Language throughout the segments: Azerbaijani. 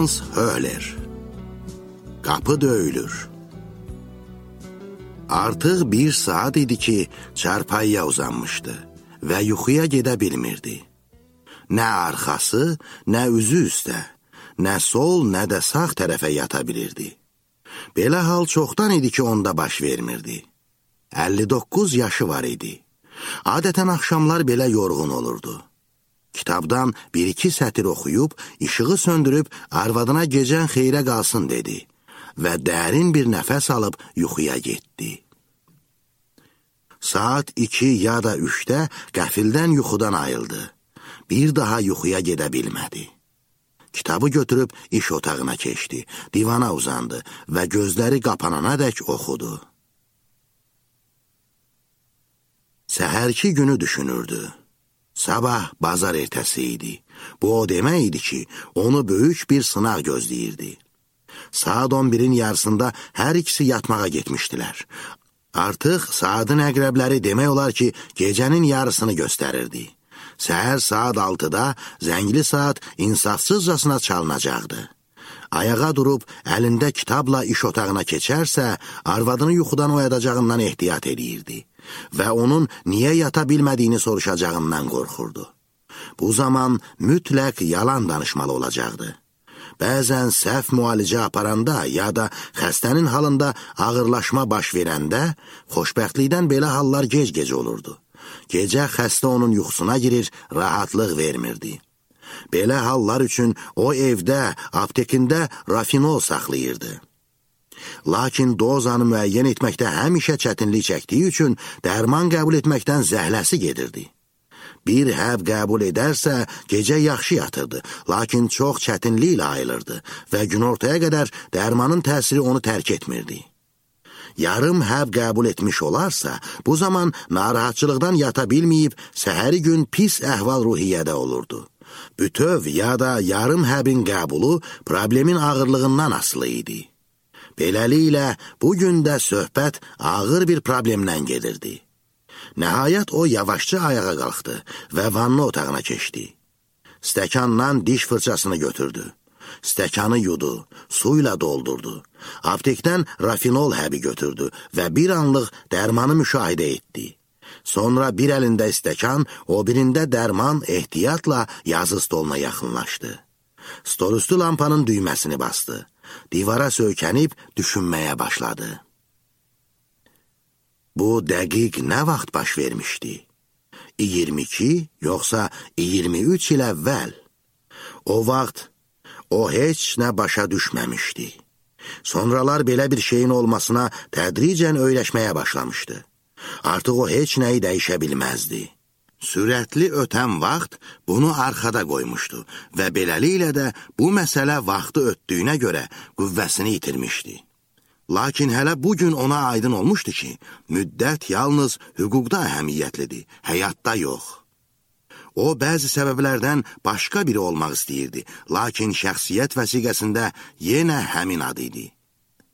Hans Höhler. Qapı döyülür. Artıq 1 saat idi ki, çarpayıya uzanmışdı və yuxuya gedə bilmirdi. Nə arxası, nə üzü üstə, nə sol, nə də sağ tərəfə yata bilirdi. Belə hal çoxdan idi ki, onda baş vermirdi. 59 yaşı var idi. Adətən axşamlar belə yorğun olurdu. Kitabdan 1-2 sətir oxuyub, işığı söndürüb, arvadına gecən xeyrə qalsın dedi və dərin bir nəfəs alıb yuxuya getdi. Saat 2 ya da 3-də qəfildən yuxudan ayıldı. Bir daha yuxuya gedə bilmədi. Kitabı götürüb iş otağına keçdi, divana uzandı və gözləri qapanana dək oxudu. Səhərki günü düşünürdü. Sabah bazar ertəsi idi. Bu o demək idi ki, onu böyük bir sınaq gözləyirdi. Saat 11-in yarısında hər ikisi yatmağa getmişdilər. Artıq saatın əqrəbləri demək olar ki, gecənin yarısını göstərirdi. Səhər saat 6-da zəngli saat insafsızcasına çalınacaqdı. Ayağa durub, əlində kitabla iş otağına keçərsə, arvadını yuxudan oyadacağından ehtiyat edirdi və onun niyə yata bilmədiyini soruşacağından qorxurdu. Bu zaman mütləq yalan danışmalı olacaqdı. Bəzən səhv müalicə aparanda ya da xəstənin halında ağırlaşma baş verəndə, xoşbəxtlikdən belə hallar gec-gec olurdu. Gecə xəstə onun yuxusuna girir, rahatlıq vermirdi. Belə hallar üçün o evdə, aptekində rafinol saxlayırdı. Lakin dozanı müəyyən etməkdə həmişə çətinlik çəkdiyi üçün dərman qəbul etməkdən zəhləsi gedirdi. Bir həb qəbul edərsə, gecə yaxşı yatırdı, lakin çox çətinliklə ayılırdı və günortaya qədər dərmanın təsiri onu tərk etmirdi. Yarım həb qəbul etmiş olarsa, bu zaman narahatçılıqdan yata bilməyib, səhəri gün pis əhval-ruhiyyədə olurdu. Bütöv ya da yarım həbin qəbulu problemin ağırlığından asılı idi. Beləliklə, bugün də söhbət ağır bir problemdən gedirdi. Nəhayət o yavaşca ayağa qalxdı və vanna otağına keçdi. Stəkandan diş fırçasını götürdü. Stəkanı yudu, suyla doldurdu. Aptekdən rafinol həbi götürdü və bir anlıq dərmanı müşahidə etdi. Sonra bir əlində stəkan, o birində dərman ehtiyatla yazı stoluna yaxınlaşdı. Stolüstü lampanın düyməsini bastı. Divara söykənib düşünməyə başladı. Bu dəqiq nə vaxt baş vermişdi? 22 yoxsa 23 il əvvəl? O vaxt o heç nə başa düşməmişdi. Sonralar belə bir şeyin olmasına tədricən öyrəşməyə başlamışdı. Artıq o heç nəyi dəyişə bilməzdi. Sürətli ötən vaxt bunu arxada qoymuşdu və beləliklə də bu məsələ vaxtı ötdüyünə görə qüvvəsini itirmişdi. Lakin hələ bugün ona aydın olmuşdu ki, müddət yalnız hüquqda əhəmiyyətlidir, həyatda yox. O, bəzi səbəblərdən başqa biri olmaq istəyirdi, lakin şəxsiyyət vəsiqəsində yenə həmin adı idi.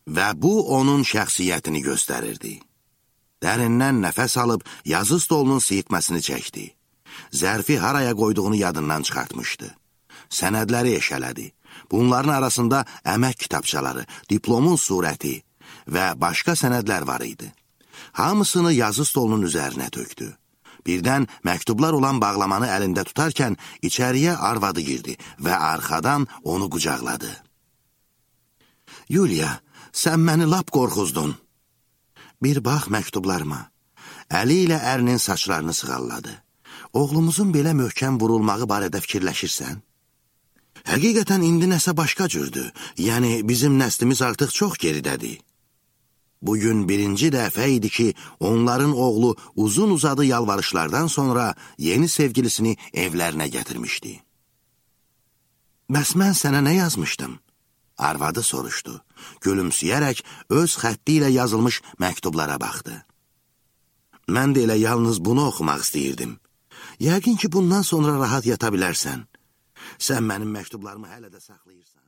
Və bu, onun şəxsiyyətini göstərirdi. Dərindən nəfəs alıb, yazı stolunun siyirtməsini çəkdi. Zərfi haraya qoyduğunu yadından çıxartmışdı. Sənədləri eşələdi. Bunların arasında əmək kitabçaları, diplomun surəti və başqa sənədlər var idi. Hamısını yazı stolunun üzərinə tökdü. Birdən məktublar olan bağlamanı əlində tutarkən içəriyə arvadı girdi və arxadan onu qucaqladı. Yuliya, sən məni lap qorxuzdun. Bir bax məktublarıma. Əli ilə ərinin saçlarını sığalladı. Oğlumuzun belə möhkəm vurulmağı barədə fikirləşirsən? Həqiqətən indi nəsə başqa cürdür. Yəni, bizim nəslimiz artıq çox geridədir. Bugün birinci dəfə idi ki, onların oğlu uzun uzadı yalvarışlardan sonra yeni sevgilisini evlərinə gətirmişdi. Bəs mən sənə nə yazmışdım? Arvadı soruşdu. Gülümsəyərək öz xətti ilə yazılmış məktublara baxdı. Mən də elə yalnız bunu oxumaq istəyirdim. Yəqin ki, bundan sonra rahat yata bilərsən. Sən mənim məktublarımı hələ də saxlayırsan.